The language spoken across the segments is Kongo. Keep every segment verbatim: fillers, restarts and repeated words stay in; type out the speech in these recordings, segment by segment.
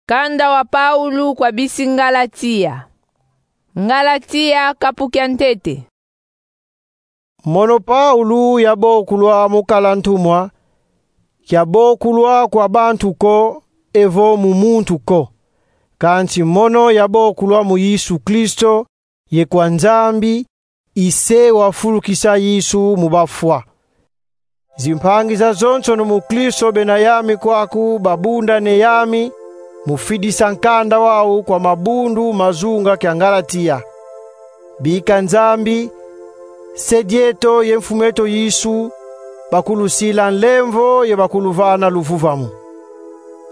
Nkanda wa Paulu kwa bisi Ngalatia. Ngalatia, kapu kia ntete. Mono Paulu yabokulwa mu kala ntumwa, kiabokulwa kwa bantu ko, evo mu muntu ko. Kansi mono yabokulwa mu Yesu Kristo, ye kwa Nzambi, i Se wafulukisa Yesu mu bafwa. Zimpangi zazonsono mu Kristo bena yami kwaku babunda ne yami, mu fidisa nkanda wau kwa mabundu ma zunga kia Ngalatia. Bika Nzambi, Se dieto ye Mfumu eto Yesu, bakulusila nlemvo ye bakuluvana luvuvamu.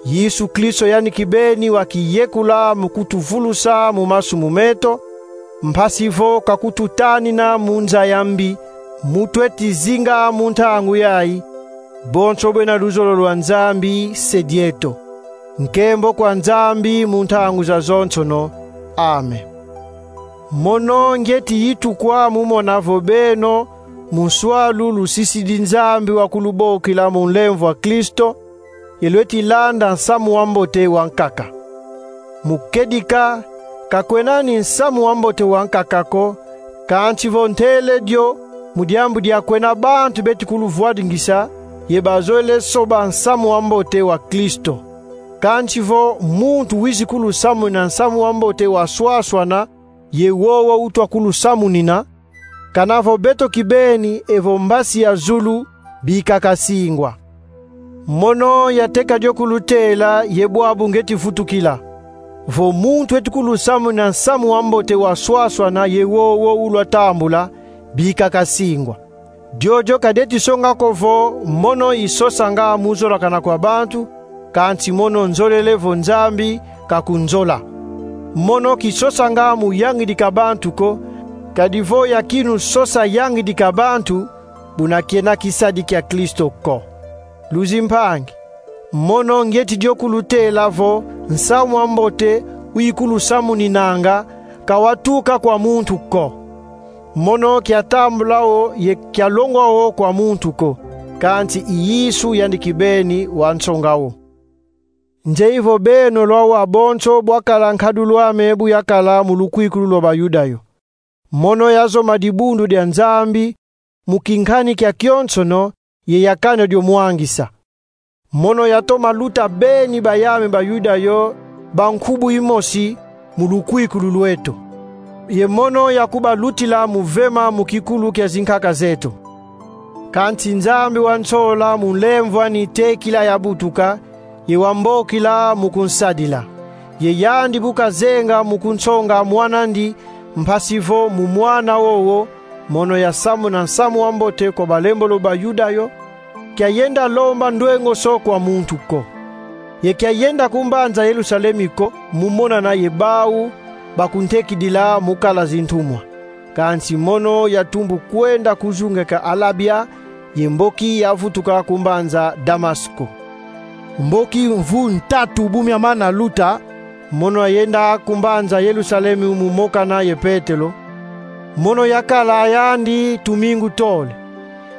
Yesu Kristo yandi kibeni wakiyekula mu kutuvulusa mu masumu meto, mpasi vo kakututanina mu nza ya mbi, mu tweti zinga mu ntangu yayi, bonso bena luzolo lwa Nzambi Se dieto. Nkembo kwa Nzambi mu ntangu zazonsono. Amen. Mono ngieti yitukwa mu mona vo beno, mu nswalu lusisidi Nzambi wakulubokila mu nlemvo a Kristo, ye lweti landa nsamu wa mbote wa nkaka. Mu kedika, ka kwena ni nsamu wa mbote wa nkaka ko, kansi vo ntele dio, mu diambu dia kwena bantu beti kuluvwadingisa, ye bazolele soba nsamu wa mbote wa Kristo. Kansi vo muntu wizi kulusamunina nsamu wa mbote wa swaswana, ye wowo utwa kulusamunina, kana vo beto kibeni evo mbasi ya zulu, bika kasingwa. Mono yateka dio kulutela ye bwabu ngieti vutukila. Vo muntu eti kulusamunina nsamu wa mbote wa swaswana ye wowo ulwa tambula, bika kasingwa. Diodio ka dieti songa ko vo mono isosanga mu zolakana kwa bantu, kansi mono nzolele vo Nzambi kakunzola. Mono kisosanga mu yangidika bantu ko, kadi vo yakinu sosa yangidika bantu, buna kiena kisadi kia Kristo ko. Luzimpangi, mono ngieti dio kulutela vo nsamu wa mbote uyikulusamuninanga, ka watuka kwa muntu ko. Mono kiatambula wo ye kialongwa wo kwa muntu ko, kansi i Yesu yandi kibeni wansonga wo. Nzeye vo beno lwawa bonso bwakala nkadulu ame bu yakala mu lukwikulu lwa Bayuda yo. Mono yazoma dibundu dia Nzambi mu kinkani kia kionsono, ye yakana dio mwangisa. Mono yatoma luta beni bayame Bayuda yo ba nkubu imosi mu lukwikulu lweto. Ye mono yakubalutila mu vema mu kikulu kia zinkaka zeto. Kansi Nzambi wansola mu nlemvo ani tekila yabutuka, ye wambokila mu kunsadila. Ye yandi bu kazenga mu kunsonga mwan'andi, mpasi vo mu mwana wowo, mono yasamuna nsamu wa mbote kwa balembolo Bayuda yo, kiayenda lomba ndwengoso kwa muntu ko. Ye kiayenda ku mbanza Yerusalemi ko, mu monana ye bau bakuntekidila mu kala zintumwa. Kansi mono yatumbu kwenda ku zunga kia Alabia, ye mboki yavutuka ku mbanza Damasco. Mboki mvu ntatu bu miamana luta, mono yayenda ku mbanza Yerusalemi mu mokana ye Petelo. Mono yakala yandi tumingu tole.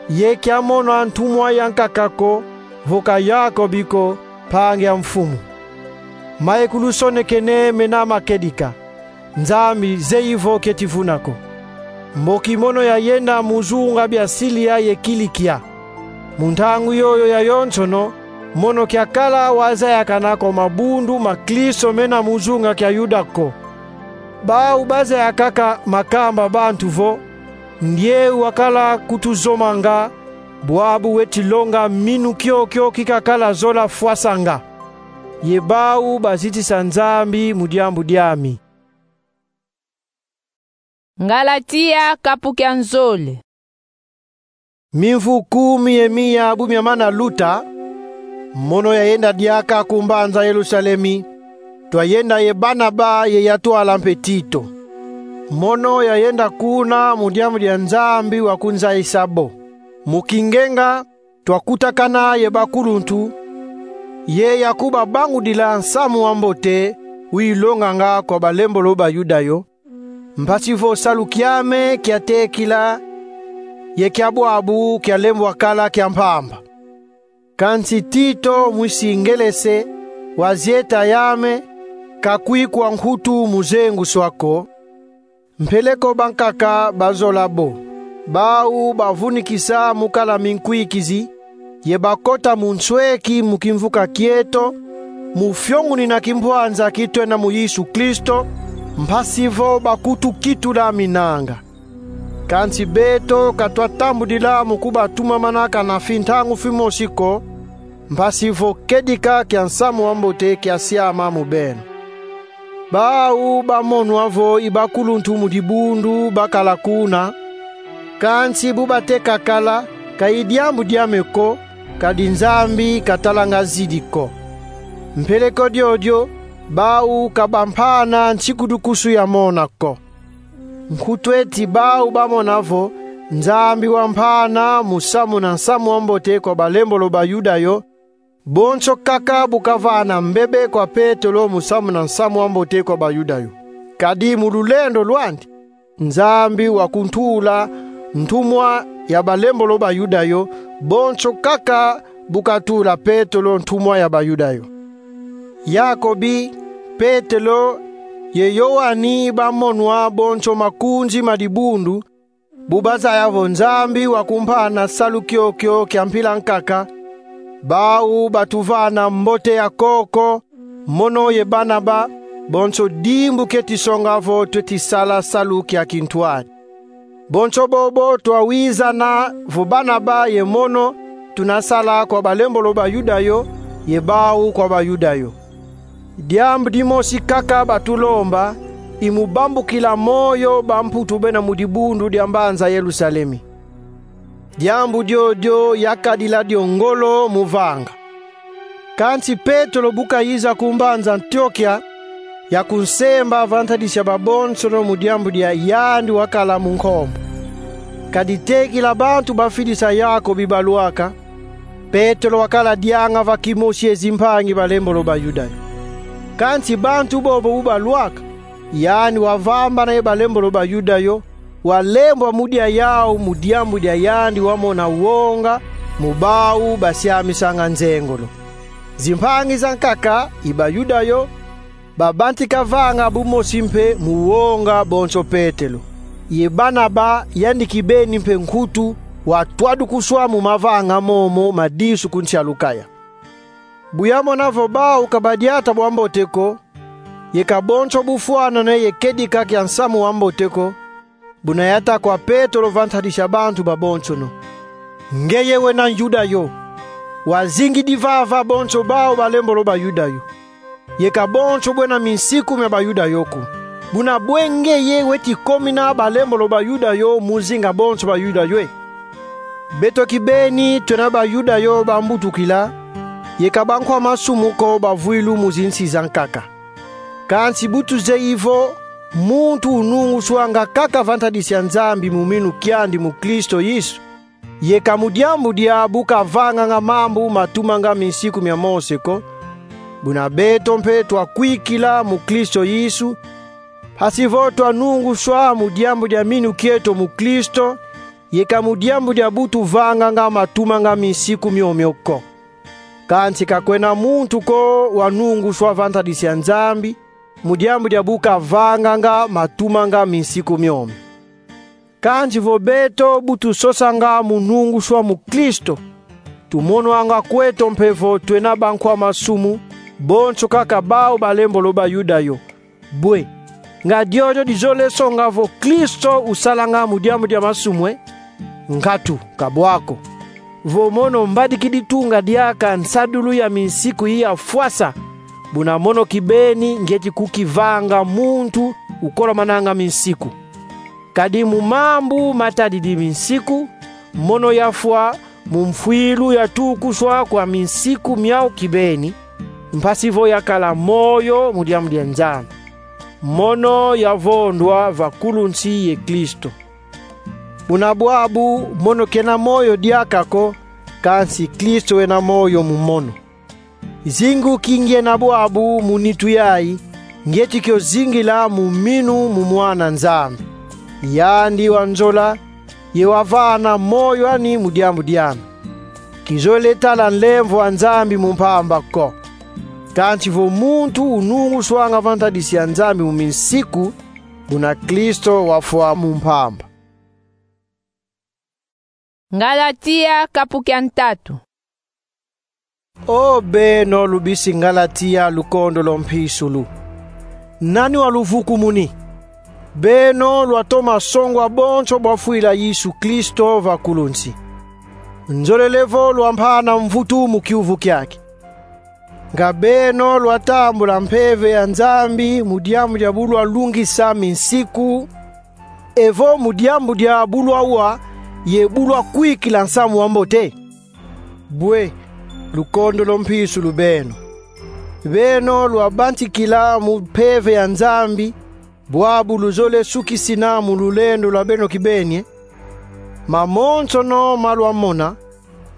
Ye kiamona ntumwa ya nkaka ko, vo ka Yakobi ko, mpangi a Mfumu. Maye kulusonekene mena makedika. Nzambi zeyi vo kieti vuna ko. Mboki mono yayenda mu zunga bia Silia ye Kilikia. Mu ntangu yoyo yayonsono, mono kiakala wazayakana kwa mabundu ma Kristo mena mu zunga kia Yuda ko. Bau bazayakaka makamba bantu vo, ndieu wakala kutuzomanga, bwabu weti longa minu kiokio kikakala zola fwasanga. Ye bau bazitisa Nzambi mu diambu diami. Ngalatia, kapu kia nzole. Mimvu kumi ye miya bu miamana luta, mono yayenda diaka ku mbanza Yerusalemi, twayenda ye Barnaba ye yatwala mpe Tito. Mono yayenda kuna mu diambu dia Nzambi wakunzayisa bo. Mu kingenga, twakutakana ye bakuluntu, ye yakubabangudila nsamu wa mbote uyilonganga kwa balembolo Bayuda yo, mpasi vo salu kiame kiatekila, ye kia bwabu kialembwa kala kia mpamba. Kansi Tito, mwisi ngelese, wazieta yame, kakwikwa nkutu mu zenguswa ko. Mpeleko bankaka bazola bo, bau bavunikisa mu kala minkwikizi, ye bakota mu nsweki mu kimvuka kieto, mu fiongunina kimpwanza ki twena mu Yesu Kristo, mpasi vo bakutukitula minanga. Kansi beto ka twatambudila mu kubatumamana kana fi ntangu fimosi ko, mpasi vo kedika kia nsamu wa mbote kia siama mu beno. Bau bamonwa vo i bakuluntu mu dibundu bakala kuna, kansi bu bateka kala, ka i diambu diame ko, kadi Nzambi katalanga zidi ko. Mpeleko diodio, bau ka bampana nsikudukusu ya mona ko. Nkutu eti bau bamona vo Nzambi wampana mu samuna nsamu wa mbote kwa balembolo ba Yuda yo, bonso kaka bu kavana mbebe kwa Petelo mu samuna nsamu wa mbote kwa Bayuda yo. Kadi mu lulendo lwandi, Nzambi wakuntula ntumwa ya balembolo ba Yuda yo, bonso kaka bu katula Petelo ntumwa ya Bayuda yo. Yakobi, Petelo, ye Yoani bamonwa bonso makunzi ma dibundu, bu bazaya vo Nzambi wakumpana salu kiokio kia mpila nkaka, bau batuvana mbote ya koko, mono ye Banaba, bonso dimbu keti songa vo tweti sala salu kia kintwadi. Bonso bobo twawizana vo Banaba ye mono tuna sala kwa balembolo ba Yuda yo, ye bau kwa Bayuda yo. Diambu dimosi kaka batulomba, i mu bambukila moyo bamputu bena mu dibundu dia mbanza Yerusalemi. Diambu diodio yakadila dio ngolo mu vanga. Kansi Petelo bu kayiza ku mbanza Antiokia, yakunsemba va ntadisi ya babonsono mu diambu dia yandi wakala mu nkombo. Kadi tekila bantu bafidisa Yakobi balwaka, Petelo wakala dianga va kimosi ye zimpangi balembolo ba Yuda yo. Kansi bantu bobo bu balwaka, yandi wavambana ye balembolo ba Yuda yo, walembwa mu dia yau mu diambu dia yandi wamona wonga mu bau basiamisanga nzengolo. Zimpangi zankaka i Bayuda yo, babantika vanga bumosi mpe mu wonga bonso Petelo. Ye Banaba, yandi kibeni mpe nkutu, watwadukuswa mu mavanga momo ma disu ku nsi ya Lukaya. Bu yamona vo bau ka badiata bwa mbote ko, ye ka bonso bufwanane ye kedika kia nsamu wa mbote ko, buna yata kwa Petelo va ntadisi ya bantu babonsono: Ngeye wena Yuda yo, wazingidi vava bonso bau balembolo ba Yuda yo, ye ka bonso bwena minsiku mia Bayuda yo ko. Buna bwe ngeye weti komina balembolo ba Yuda yo mu zinga bonso Bayuda yo e? Beto kibeni twena Bayuda yo bambutukila, ye ka bankwa masumu ko bavwilu mu zinsi zankaka. Kansi bu tuzeyi vo muntu ununguswanga kaka va ntadisi ya Nzambi mu minu kiandi mu Kristo Yesu, ye ka mu diambu dia bu kavanganga mambu matumanga minsiku mia Mose ko, buna beto mpe twakwikila mu Kristo Yesu, mpasi vo twanunguswa mu diambu dia minu kieto mu Kristo, ye ka mu diambu dia bu tuvanganga matumanga minsiku miomio ko. Kansi ka kwena muntu ko wanunguswa va ntadisi ya Nzambi, mu diambu dia bu kavanganga matumanga minsiku miomio. Kansi vo beto bu tusosanga mu nunguswa mu Kristo, tumonwanga kweto mpe vo twena bankwa masumu, bonso kaka bau balembolo ba Yuda yo. Bwe, nga diodio dizolele songa vo Kristo usalanga mu diambu dia masumu e? Nkatu, ka bwa ko. Vo mono mbadikidi tunga diaka nsadulu ya minsiku yi ya fwasa, buna mono kibeni ngieti kukivanga muntu ukolomananga minsiku. Kadi mu mambu matadidi minsiku, mono yafwa mu mfwilu yatukuswa kwa minsiku miau kibeni, mpasi vo yakala moyo mu diambu dia Nzambi. Mono yavondwa va kulunsi ye Kristo. Buna bwabu mono kena moyo diaka ko, kansi Kristo wena moyo mu mono. Zingu ki ngiena bwabu mu nitu yai, ngieti kio zingila mu minu mu Mwana Nzambi. Yandi wanzola, ye wavana moyo ani mu diambu diame. Kizolele tala nlemvo a Nzambi mu mpamba ko. Kansi vo muntu ununguswanga va ntadisi ya Nzambi mu minsiku, buna Kristo wafwa mu mpamba. Ngalatia, kapu kia ntatu. O beno lubisi Ngalatia, lukondolo mpisulu, nani waluvukumuni? Beno lwatoma songwa bonso bwafwila Yesu Kristo va kulunsi. Nzolele vo lwampana mvutu mu kiuvu kiaki. Nga beno lwatambula mpeve ya Nzambi mu diambu dia bu lwalungisa minsiku, evo mu diambu dia bu lwawa ye bu lwakwikila nsamu wa mbote? Bwe, lukondolo mpisulu beno. Beno lwabantikila mu mpeve ya Nzambi, bwabu luzole sukisina mu lulendo lwa beno kibeni e? Mamonsono ma lwamona,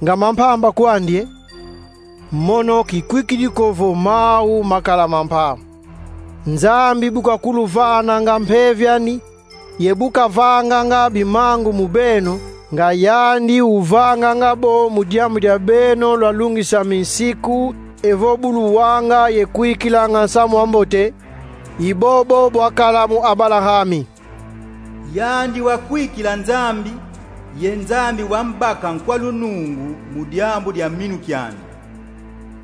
nga ma mpamba kwandi e? Mono kikwikidi ko vo mau makala ma mpamba. Nzambi bu kakuluvananga mpeve ani, ye bu kavanganga bimangu mu beno, nga yandi uvanganga bo mu diambu dia beno lwalungisa minsiku, evo bu luwanga ye kwikilanga nsamu wa mbote, i bobo bwakala mu Abalahami. Yandi wakwikila Nzambi, ye Nzambi wambaka nkwa lunungu mu diambu dia minu kiandi.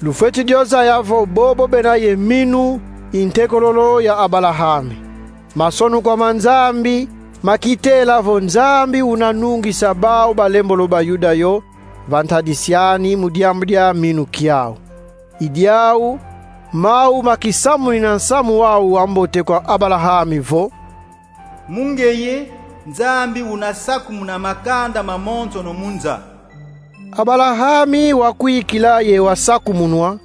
Lufweti dio zaya vo bobo bena ye minu i ntekololo ya Abalahami. Masonukwa ma Nzambi makitela vo Nzambi unanungisa bau balembolo Bayuda yo va ntadisi ani mu diambu dia minu kiau. I diau, mau makisamunina nsamu wau wa mbote kwa Abalahami vo: Mu ngeye, Nzambi unasakumuna makanda mamonsono mu nza. Abalahami wakwikila ye wasakumunwa,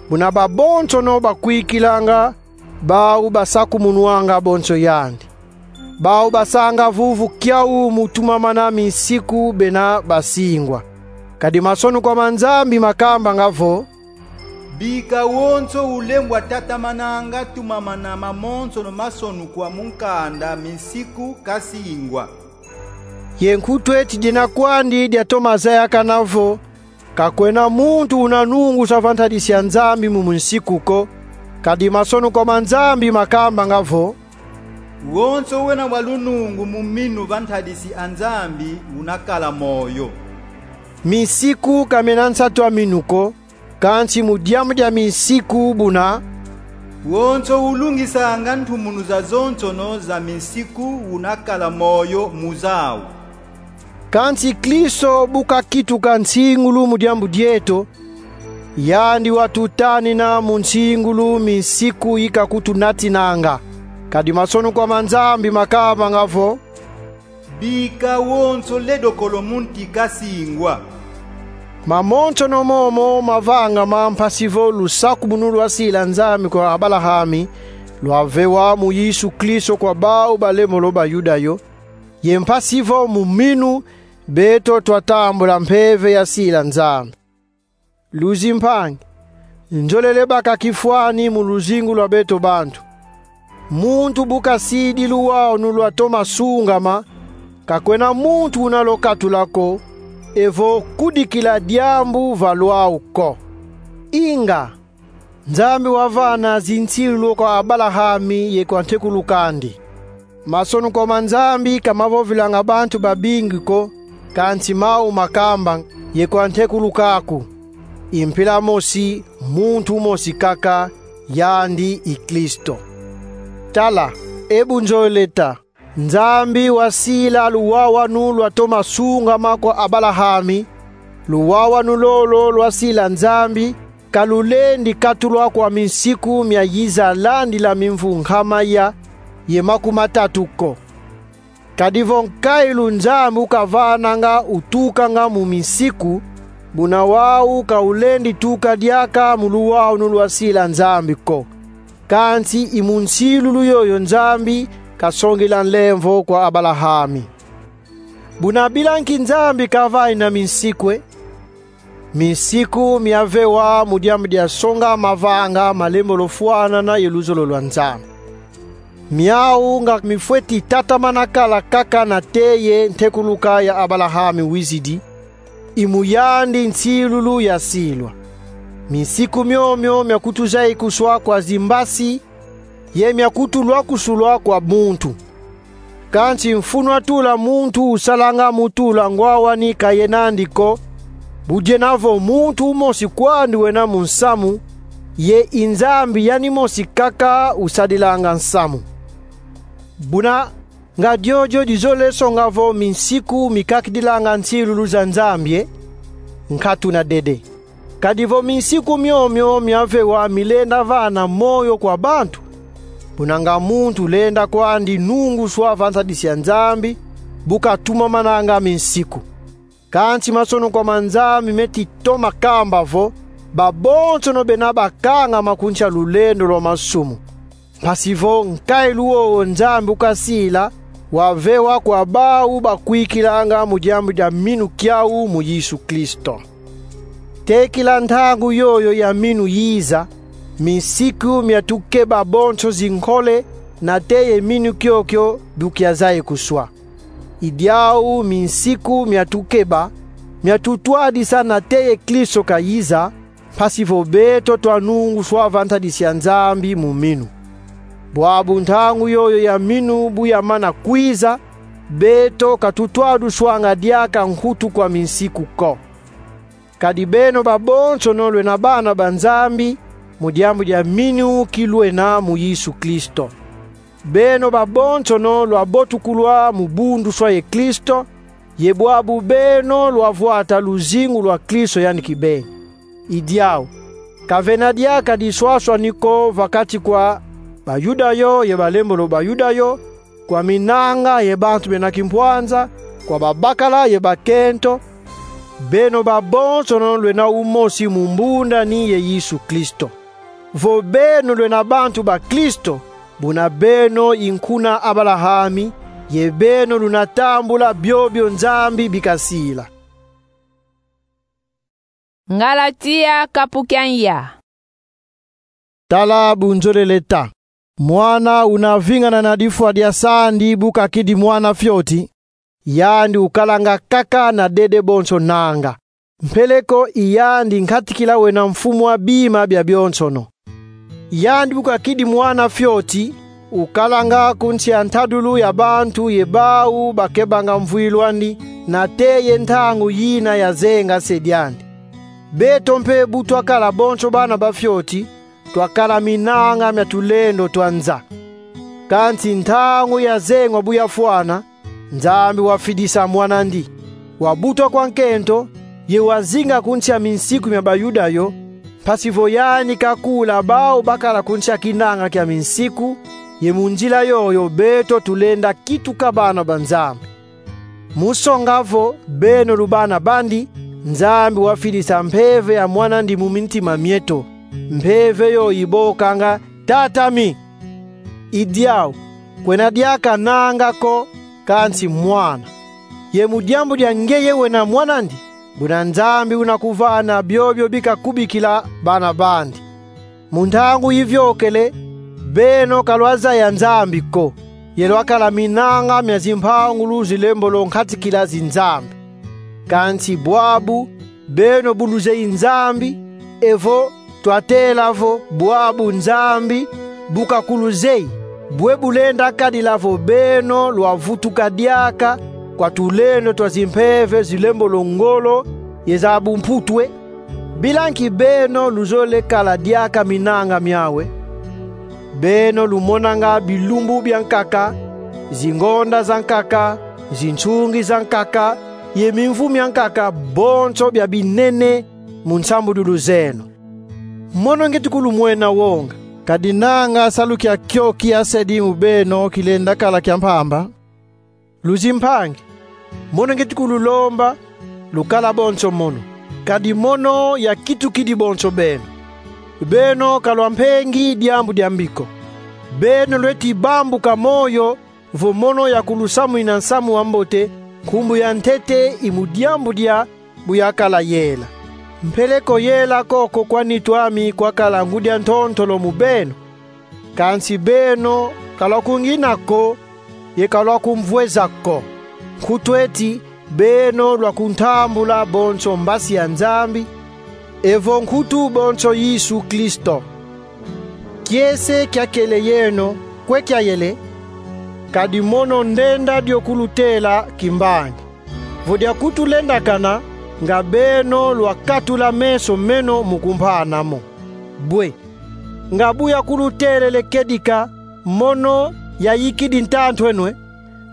buna babonsono bakwikilanga, bau basakumunwanga bonso yandi. Bau basanga vuvu kiau mu tumamana minsiku bena basingwa. Kadi masonukwa ma Nzambi makambanga vo: Bika wonso ulembwa tatamananga tumamana mamonsono masonukwa mu nkanda minsiku kasingwa. Ye nkutu eti dina kwandi diatoma zayakana vo: Ka kwena muntu unanungusa va ntadisi ya Nzambi mu minsiku ko. Kadi masonukwa ma Nzambi makambanga vo: Wonso wena wa lunungu mu minu va ntadisi a Nzambi unakala moyo. Minsiku ka mena nsatu a minu ko, kansi mu diambu dia minsiku buna: Wonso ulungisanga ntumunu zazonsono za minsiku unakala moyo mu zau. Kansi Kristo bu kakituka nsingulu mu diambu dieto, yandi watutanina mu nsingulu minsiku yi kakutunatinanga. Kadi masonukwa ma Nzambi makambanga vo: Bika wonso ledokolo mu nti kasingwa. Mamonsono momo mavangama mpasi vo lusakumunu lwasila Nzambi kwa Abalahami, lwavewa mu Yesu Kristo kwa bau balembolo Bayuda yo, ye mpasi vo mu minu beto twatambula mpeve yasila Nzambi. Luzimpangi, nzolele bakaka kifwani mu luzingu lwa beto bantu. Muntu bu kasidi luwawanu lwatoma sungama, ka kwena muntu una lwakatula ko, evo kudikila diambu va lwau ko. Inga, Nzambi wavana zinsilu kwa Abalahami ye kwa ntekulu kandi. Masonukwa ma Nzambi ka mavovilanga bantu babingi ko, kansi mau makamba: Ye kwa ntekulu kaku, i mpila mosi, muntu mosi kaka, yandi i Kristo. Tala, e bunzolele ta, Nzambi wasila luwawanu lwatoma sungama kwa Abalahami. Luwawanu lolo lwasila Nzambi ka lulendi katulwa kwa minsiku miayiza landila mimvu nkama ya ye makumatatu ko. Kadi vo nkailu Nzambi ukavananga utukanga mu minsiku, buna wau ka ulendi tuka diaka mu luwawanu lwasila Nzambi ko. Kansi i mu nsilulu yoyo Nzambi kasongila nlemvo kwa Abalahami. Buna bila nki Nzambi kavanina minsiku e? Minsiku miavewa mu diambu dia songa mavanga malembolo fwanana ye luzolo lwa Nzambi. Miau nga mifweti tatamana kala kaka nate ye ntekuluka ya Abalahami wizidi, i mu yandi nsilulu yasilwa. minsiku miomio mia kutuzayikuswa kwa zimbasi ye mia kutulwakusulwa kwa muntu. Kansi mfunu atula muntu usalanga mu tula ngwawani ka yenandi ko, bu diena vo muntu umosi kwandi wena mu nsamu, ye i Nzambi yani mosi kaka usadilanga nsamu. Buna nga diodio dizolele songa vo minsiku mikakidilanga nsilulu za Nzambi, e? Nkatu na dede. Kadi vo minsiku miomio mia vewa milenda vana moyo kwa bantu, buna nga muntu lenda kwandi nunguswa va ntadisi ya Nzambi, bu katumamananga minsiku. Kansi masonokwa ma Nzambi meti toma kamba vo: Babonsono bena bakangama ku nsi a lulendo lwa masumu. Mpasi vo nkailu wowo Nzambi ukasila wavewa kwa bau bakwikilanga mu diambu dia minu kiau mu Yesu Kristo. Tekila ntangu yoyo ya minu yiza, minsiku mia tukeba bonso zinkole, nate ye minu kiokio bu kiazayikuswa. I diau minsiku mia tukeba, mia tutwadisa nate ye Kristo kayiza, mpasi vo beto twanunguswa va ntadisi ya Nzambi mu minu. Bwabu ntangu yoyo ya minu bu yamana kwiza, beto ka tutwaduswanga diaka nkutu kwa minsiku ko. Kadi beno babonsono lwena bana ba Nzambi, mu diambu dia minu ki lwena mu Yesu Kristo. Beno babonsono lwabotukulwa mu bunduswa ye Kristo, ye bwabu beno lwavwata luzingu lwa Kristo yani kibeni. I diau, ka vena diaka diswaswani ko va kati kwa Bayuda yo ye balembolo Bayuda yo, kwa minanga ye bantu bena kimpwanza, kwa babakala ye bakento, beno babonsono lwena umosi mu mbundani ye Yesu Kristo. Vo beno lwena bantu ba Kristo, buna beno i nkuna Abalahami, ye beno luna tambula biobio Nzambi bi kasila. Ngalatia kapu kia nya. Tala bu nzolele ta: Mwana una vingana na difwa dia sandi bu kakidi mwana fioti, yandi ukalanga kaka na dede bonso nanga. Mpeleko i yandi nkatikila wena mfumu a bima bia bionsono. Yandi bu kakidi mwana fioti, ukalanga ku nsi a ntadulu ya bantu ye bau bakebanga mvwilu andi, nate ye ntangu yina yazenga se diandi. Beto mpe bu twakala bonso bana ba fioti, twakala minanga mia tulendo twa nza. Kansi ntangu yazengwa bu yafwana, Nzambi wafidisa mwan'andi, wabutwa kwa nkento, ye wazinga ku nsi a minsiku mia Bayuda yo, mpasi vo yandi kakula bau bakala ku nsi a kinanga kia minsiku, ye mu nzila yoyo beto tulenda kituka bana ba Nzambi. Mu songa vo beno lu bana bandi, Nzambi wafidisa mpeve ya mwan'andi mu mintima mieto, mpeve yo ibokanga: Tata mi! I diau, kwena diaka nanga ko, kansi mwana. Ye mu diambu dia ngeye wena mwan'andi, buna Nzambi una kuvana biobio bi kakubikila bana bandi. Mu ntangu iviokele, beno ka lwazaya Nzambi ko, ye lwakala minanga mia zimpangulu zilembolo nkatikila zinzambi. Kansi bwabu, beno bu luzeyi Nzambi, evo twatela vo bwabu Nzambi bu kakuluzeyi, bwe bulenda kadila vo beno lwavutuka diaka kwa tulendo twa zimpeve zilembolo ngolo ye za bumputu, e? Bila nki beno luzolele kala diaka minanga miau, e? Beno lumonanga bilumbu bia nkaka, zingonda za nkaka, zinsungi za nkaka, ye mimvu mia nkaka, bonso bia binene mu nsambudulu zeno. Mono ngieti kulumwena wonga. Kadi nanga salu kiakio kiasedi mu beno kilenda kala kia mpamba. Luzimpangi, mono ngieti kululomba, lukala bonso mono. Kadi mono yakitukidi bonso beno. Beno ka lwampengi diambu diambi ko. Beno lweti bambuka moyo vo mono yakulusamwina nsamu wa mbote, nkumbu ya ntete i mu diambu dia bu yakala yela. Mpeleko yela koko kwa nitu ami kwakala ngudi a ntontolo mu beno. Kansi beno ka lwakungina ko, ye ka lwakumvweza ko. Nkutu eti beno lwakuntambula bonso mbasi ya Nzambi, Evo nkutu bonso Yesu Kristo. Kiese kiakele yeno kwe kiayele, kadi mono ndenda dio kulutela kimbangi. Vo diakutulendakana, nga beno lwakatula meso meno mu kumpana mo. Bwe, nga bu yakulutelele kedika, mono yayikidi ntantu eno e: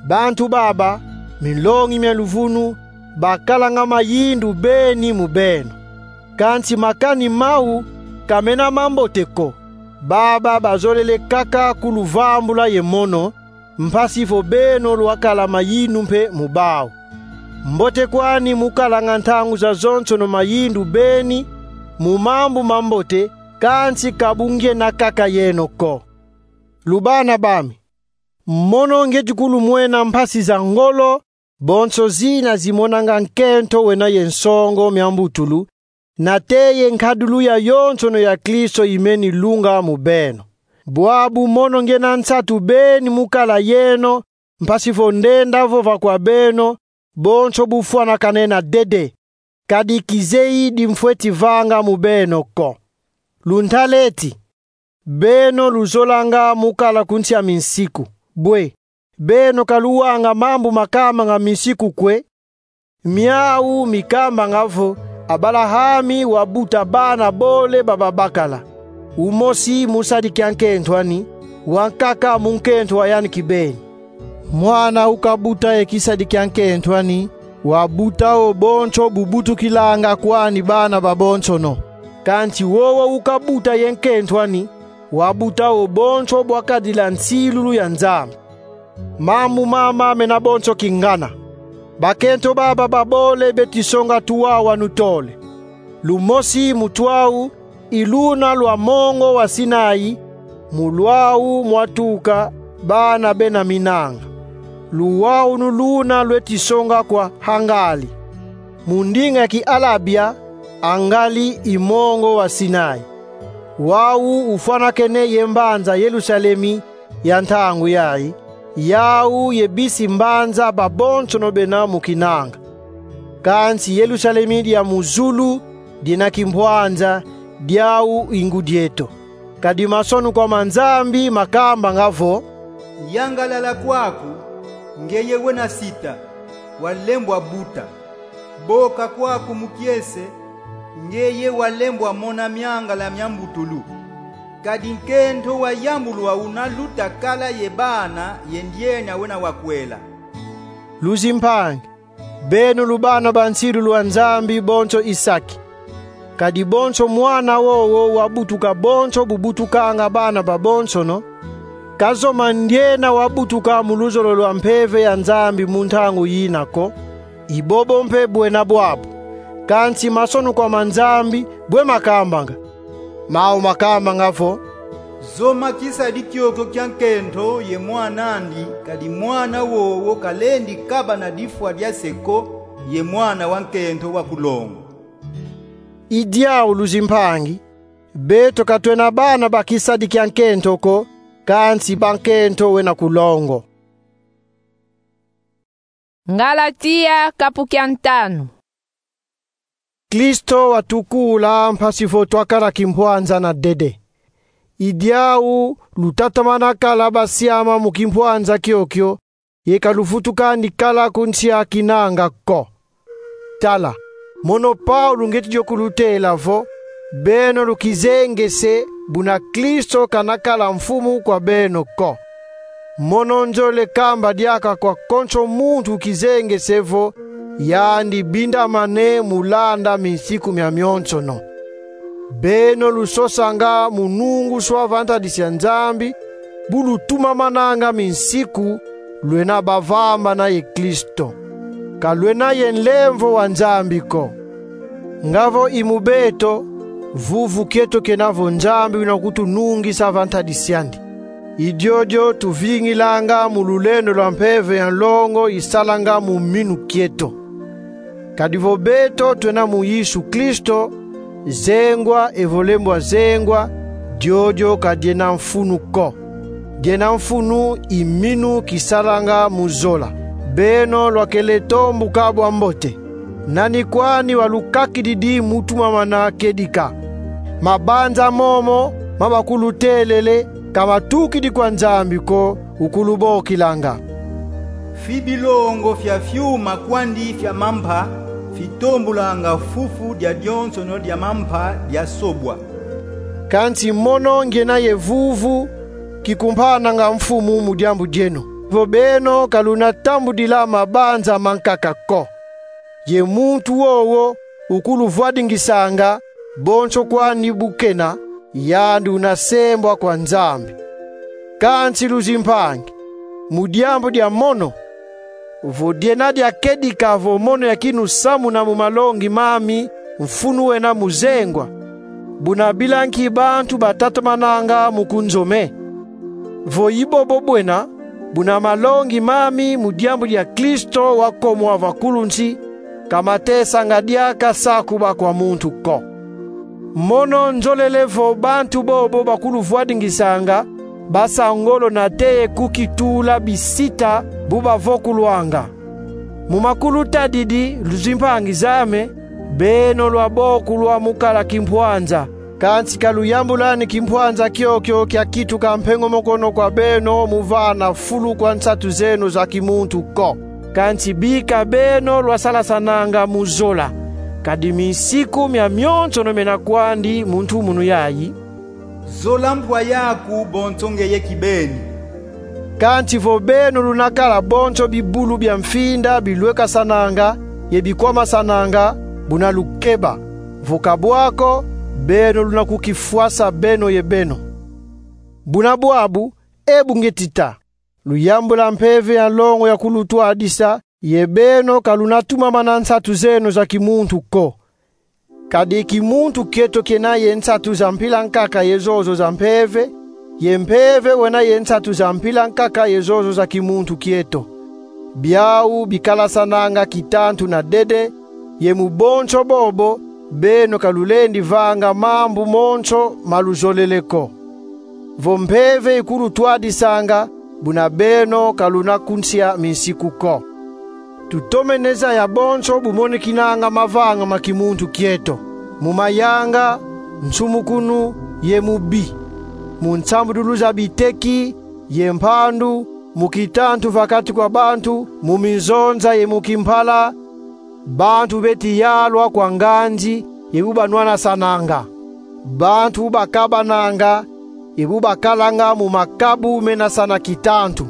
bantu baba, minlongi mia luvunu, bakalanga mayindu beni mu beno. Kansi makani mau ka mena mambote ko. Baba bazolele kaka kuluvambula ye mono, mpasi vo beno lwakala mayindu mpe mu bau. Mbote kwani mu kalanga ntangu zazonsono mayindu beni mu mambu mambote, kansi ka bu ngyena kaka yeno ko. Lubana bami, mono ngieti kulumwena mpasi za ngolo, bonso zina zimonanga nkento wena ye nsongo mia mbutulu, nate ye nkadulu yayonsono ya Kristo imeni lunga mu beno. Bwabu mono ngiena nsatu beni mu kala yeno, mpasi vo ndenda vova kwa beno, bonso bufwanakane na dede, kadi kizeyi dimfweti vanga mu beno ko. Luntala eti, beno luzolanga mu kala ku nsi a minsiku. Bwe, beno ka luwanga mambu makambanga minsiku kwe? Miau mikambanga vo Abalahami wabuta bana bole ba babakala, umosi mu sadi kia nkento ani, wankaka mu nkento wa yandi kibeni. Mwana ukabuta ye kisadi kia nkento ani, wabuta wo bonso bubutukilanga kwani bana babonsono. Kansi wowo ukabuta ye nkento ani, wabuta wo bonso bwakadila nsilulu ya Nzambi. Mambu mama mena bonso kingana. Bakento baba babole beti songa tuwau anu tole. Lumosi mu tuwau i luna lwa mongo wa Sinai, mu lwau mwatuka bana bena minanga. Luwau nu luna lweti songa kwa Hangali. Mu ndinga ya Kialabia, Hangali i mongo wa Sinai. Wau ufwanakene ye mbanza Yerusalemi ya ntangu yayi, yau ye bisi mbanza babonsono bena mu kinanga. Kansi Yerusalemi dia mu zulu diena kimpwanza, diau i ngudi eto. Kadi masonukwa ma Nzambi makambanga vo: Yangalala kwaku, ngeye wena sita, walembwa buta. Boka kwaku mu kiese, ngeye walembwa mona miangala mia mbutulu. Kadi nkento wayambulwa una luta kala ye bana ye ndiena wena wakwela. Luzimpangi, beno lubana ba nsilulu a Nzambi bonso i saki. Kadi bonso mwana wowo wabutuka bonso bubutukanga bana babonsono, ka zoma ndiena wabutuka mu luzolo lwa mpeve ya Nzambi mu ntangu yina ko, i bobo mpe bwena bwabu. Kansi masonukwa ma Nzambi bwe makambanga? Mau makambanga vo: Zoma kisadi kiokio kia nkento ye mwan'andi, kadi mwana wowo kalendi kabana difwa dia se ko ye mwana wa nkento wa ku longo. I diau, luzimpangi, beto ka twena bana ba kisadi kia nkento ko, kansi ba nkento wena ku longo. Ngalatia, kapu kia ntanu. Kristo watukula mpasi vo twakala kimpwanza na dede. I diau lutatamana kala basiama mu kimpwanza kiokio, ye ka luvutukandi kala ku nsi a kinanga ko. Tala, mono Paulo ngieti dio kulutela vo: beno lukizengese, buna Kristo kanakala mfumu kwa beno ko. Mono nzolele kamba diaka kwa konso muntu ukizengese vo yandi bindamane mu landa minsiku miamionsono. Beno lusosanga mu nunguswa va ntadisi a Nzambi, bu lutumamananga minsiku, lwena bavambana ye Kristo. Ka lwena ye nlemvo wa Nzambi ko. Nga vo i mu beto, vuvu kieto kena vo Nzambi wina kutunungisa va ntadisi andi. I diodio tuvingilanga mu lulendo lwa mpeve ya nlongo isalanga mu minu kieto. Kadi vo beto twena mu Yesu Kristo, zengwa evo lembwa zengwa, diodio ka diena mfunu ko. Diena mfunu i minu kisalanga mu zola. Beno lwakele tombuka bwa mbote. Nani kwandi walukakididi mu tumamana kedika? Mabanza momo ma bakulutelele ka matukidi kwa Nzambi ko, ukulubokilanga: Fi bilongo fia fiuma kwandi fia mampa fitombulanga fufu dia dionsono dia mampa diasobwa. Kansi mono ngiena ye vuvu kikumpananga mfumu mu diambu dieno. Vo beno ka luna tambudila mabanza mankaka ko, ye muntu wowo ukuluvwadingisanga, bonso kwandi bu kena, yandi una sembwa kwa Nzambi. Kansi luzimpangi, mu diambu dia mono, vo diena dia kedika vo mono ya kinusamuna mu malongi mami, mfunu wena mu zengwa, buna bila nki bantu batatamananga mu kunzome? Vo i bobo bwena, buna malongi mami mu diambu dia Kristo wakomwa va kulu nsi ka matesanga diaka sakuba kwa muntu ko. Mono nzolele vo bantu bobo bakuluvwadingisanga basa ngolo nate ye kukitula bisita bu bavokulwanga. Mu makulutadidi, luzimpangi zame, beno lwabokulwa mu kala kimpwanza, kansi ka luyambulani kimpwanza kiokio kia kituka mpengomokono kwa beno mu vana fulu kwa nsatu zeno za kimuntu ko. Kansi bika beno lwasalasananga mu zola, kadi minsiku mia mionsono mena kwandi mu ntumunu yayi: Zola mpwa yaku bonso ngeye kibeni. Kansi vo beno luna kala bonso bibulu bia mfinda bilwekasananga ye bikwamasananga, buna lukeba, vo ka bwa ko, beno luna kukifwasa beno ye beno. Buna bwabu, e bungeti ta, luyambula mpeve ya longo ya kulutwadisa, ye beno ka luna tumamana nsatu zeno za kimuntu ko. Kadi kimuntu kieto kiena ye nsatu za mpila nkaka ye zozo za mpeve, ye mpeve wena ye nsatu za mpila nkaka ye zozo za kimuntu kieto. Biau bikalasananga kitantu na dede, ye mu bonso bobo, beno ka lulendi vanga mambu monso ma luzolele ko. Vo mpeve ikulutwadisanga, buna beno ka luna kunsia minsiku ko. Tutomene zaya bonso bu monekinanga mavanga ma kimuntu kieto: mu mayanga, nsumukunu, ye mu bi, mu nsambudulu za biteki ye mpandu, mu kitantu va kati kwa bantu, mu minzonza ye mu kimpala, bantu beti yalwa kwa nganzi ye bu banwanasananga, bantu bu bakabananga ye bu bakalanga mu makabu menasana kitantu,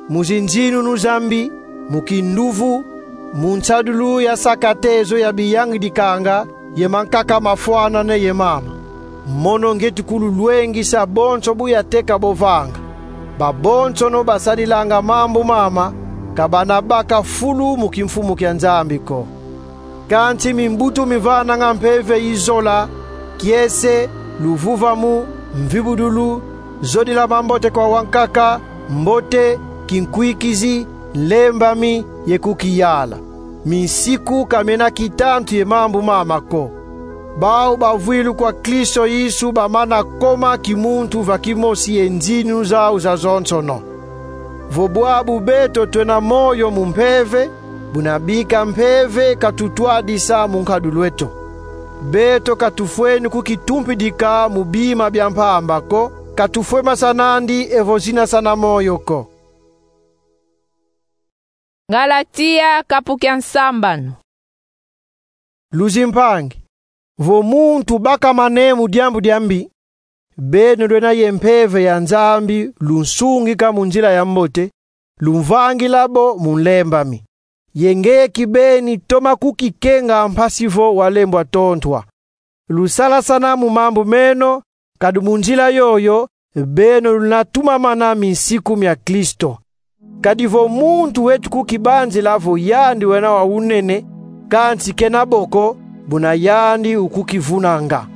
mu zinzinunu za mbi, mu kinduvu, mu nsadulu ya sakatezo ya biyangidikanga, ye mankaka mafwanane ye mama. Mono ngieti kululwengisa bonso bu yateka bo vanga. Babonsono basadilanga mambu mama ka bana baka fulu mu kimfumu kia Nzambi ko. Kansi mimbutu mivananga mpeve i zola: kiese, luvuvamu, mvibudulu, zodila mambote kwa wankaka, mbote, kinkwikizi, nlembami, ye kukiyala. Minsiku ka miena kitantu ye mambu mama ko. Bau bavwilu kwa Kristo Yesu bamana koma kimuntu va kimosi ye nzininu zau zazonsono. Vo bwabu beto twena moyo mu mpeve, buna bika mpeve katutwadisa mu nkadulu eto. Beto ka tufweni kukitumpidika mu bima bia mpamba ko, ka tufwe masanandi evo zinasana moyo ko. Ngalatia, kapu kia nsambanu. Luzimpangi, vo muntu bakamane mu diambu dia mbi, beno lwena ye mpeve ya Nzambi lunsungika mu nzila ya mbote, lumvangila bo mu nlembami. Ye ngeye kibeni toma kukikenga mpasi vo walembwa tontwa. Lusalasana mu mambu meno, kadi mu nzila yoyo, beno luna tumamana minsiku mia Kristo. Kadi vo muntu weti kukibanzila vo yandi wena wa unene, kansi kena bo ko, buna yandi ukukivunanga.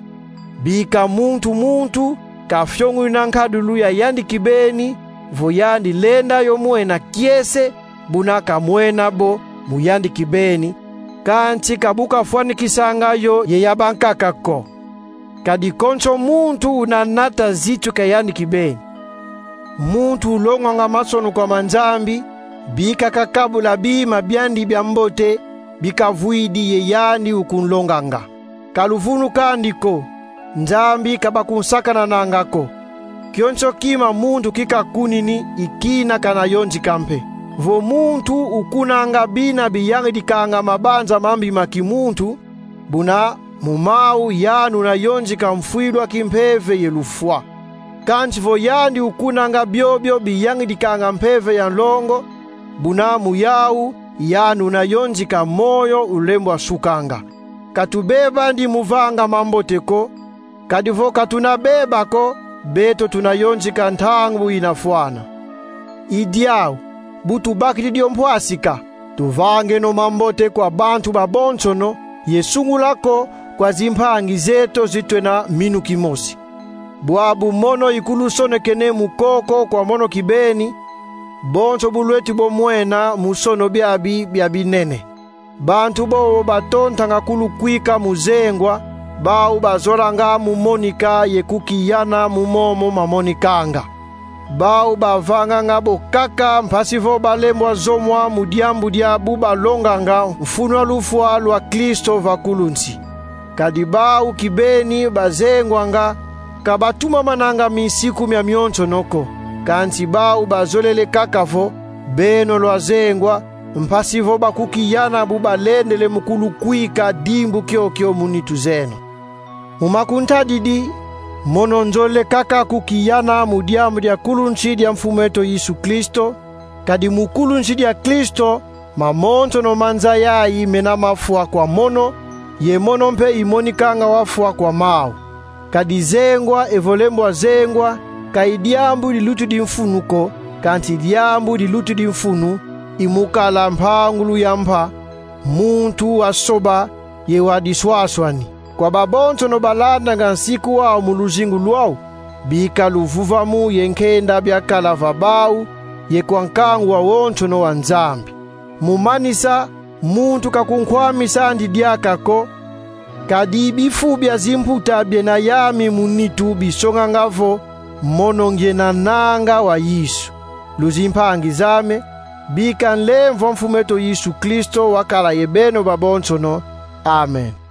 Bika muntu muntu kafiongunina nkadulu ya yandi kibeni, vo yandi lenda yo mwena kiese, buna kamwena bo mu yandi kibeni, kansi ka bu kafwanikisanga yo ye ya bankaka ko. Kadi konso muntu una nata zitu kia yandi kibeni. Muntu ulongwanga masono kwa ma Nzambi, bika kakabula bima biandi bia mbote, bikavwidi ye yandi ukunlonganga. Ka luvunu kandi ko, Nzambi ka bakunsakanananga ko. Kionso kima muntu kikakunini i kina kanayonzika mpe. Vo muntu ukunanga bina biyangidikanga mabanza mambi ma kimuntu, buna mu mau yandi unayonzika mfwilu a kimpeve ye lufwa. Kansi vo yandi ukunanga biobio biyangidikanga mpeve ya nlongo, buna mu yau yandi unayonzika moyo ulembwa sukanga. Ka tubebandi mu vanga mambote ko, kadi vo ka tuna beba ko, beto tunayonzika ntangu inafwana. I diau, bu tubakidi dio mpwasika, tuvangeno mambote kwa bantu babonsono, ye sungula ko kwa zimpangi zeto zi twena minu kimosi. Bwabu mono ikulusonekene mu koko kwa mono kibeni, bonso bu lweti bo mwena mu sono biabi bia binene. Bantu bobo batontanga kulukwika mu zengwa, bau bazolanga mu monika ye kukiyana mu momo mamonikanga. Bau bavanganga bo kaka mpasi vo balembwa zomwa mu diambu dia bu balonganga mfunu a lufwa lwa Kristo va kulu nsi. Kadi bau kibeni bazengwanga, ka batumamananga minsiku mia mionsono ko. Kansi bau bazolele kaka vo beno lwazengwa, mpasi vo bakukiyana bu balendele mu kulukwika dimbu kiokio mu nitu zeno. Mu makuntadidi, mono nzolele kaka kukiyana mu diambu dia kulu nsi dia Mfumu eto Yesu Kristo, kadi mu kulu nsi dia Kristo, mamonsono ma nza yai mena mafwa kwa mono, ye mono mpe imonikanga wafwa kwa mau. Kadi zengwa evo lembwa zengwa, ka i diambu dilutidi mfunu ko, kansi diambu dilutidi mfunu i mu kala mpangulu ya mpa, muntu wa soba ye wa diswaswani. Kwa babonsono balandanga nsiku wau mu luzingu lwau, bika luvuvamu ye nkenda biakala va bau, ye kwa nkangu wawonsono wa Nzambi. Mu manisa, muntu ka kunkwamisa andi diaka ko, kadi bifu bia zimputa biena yami mu nitu bisonganga vo mono ngiena nanga wa Yesu. Luzimpangi zame, bika nlemvo a Mfumu eto Yesu Kristo wakala ye beno babonsono. Amen.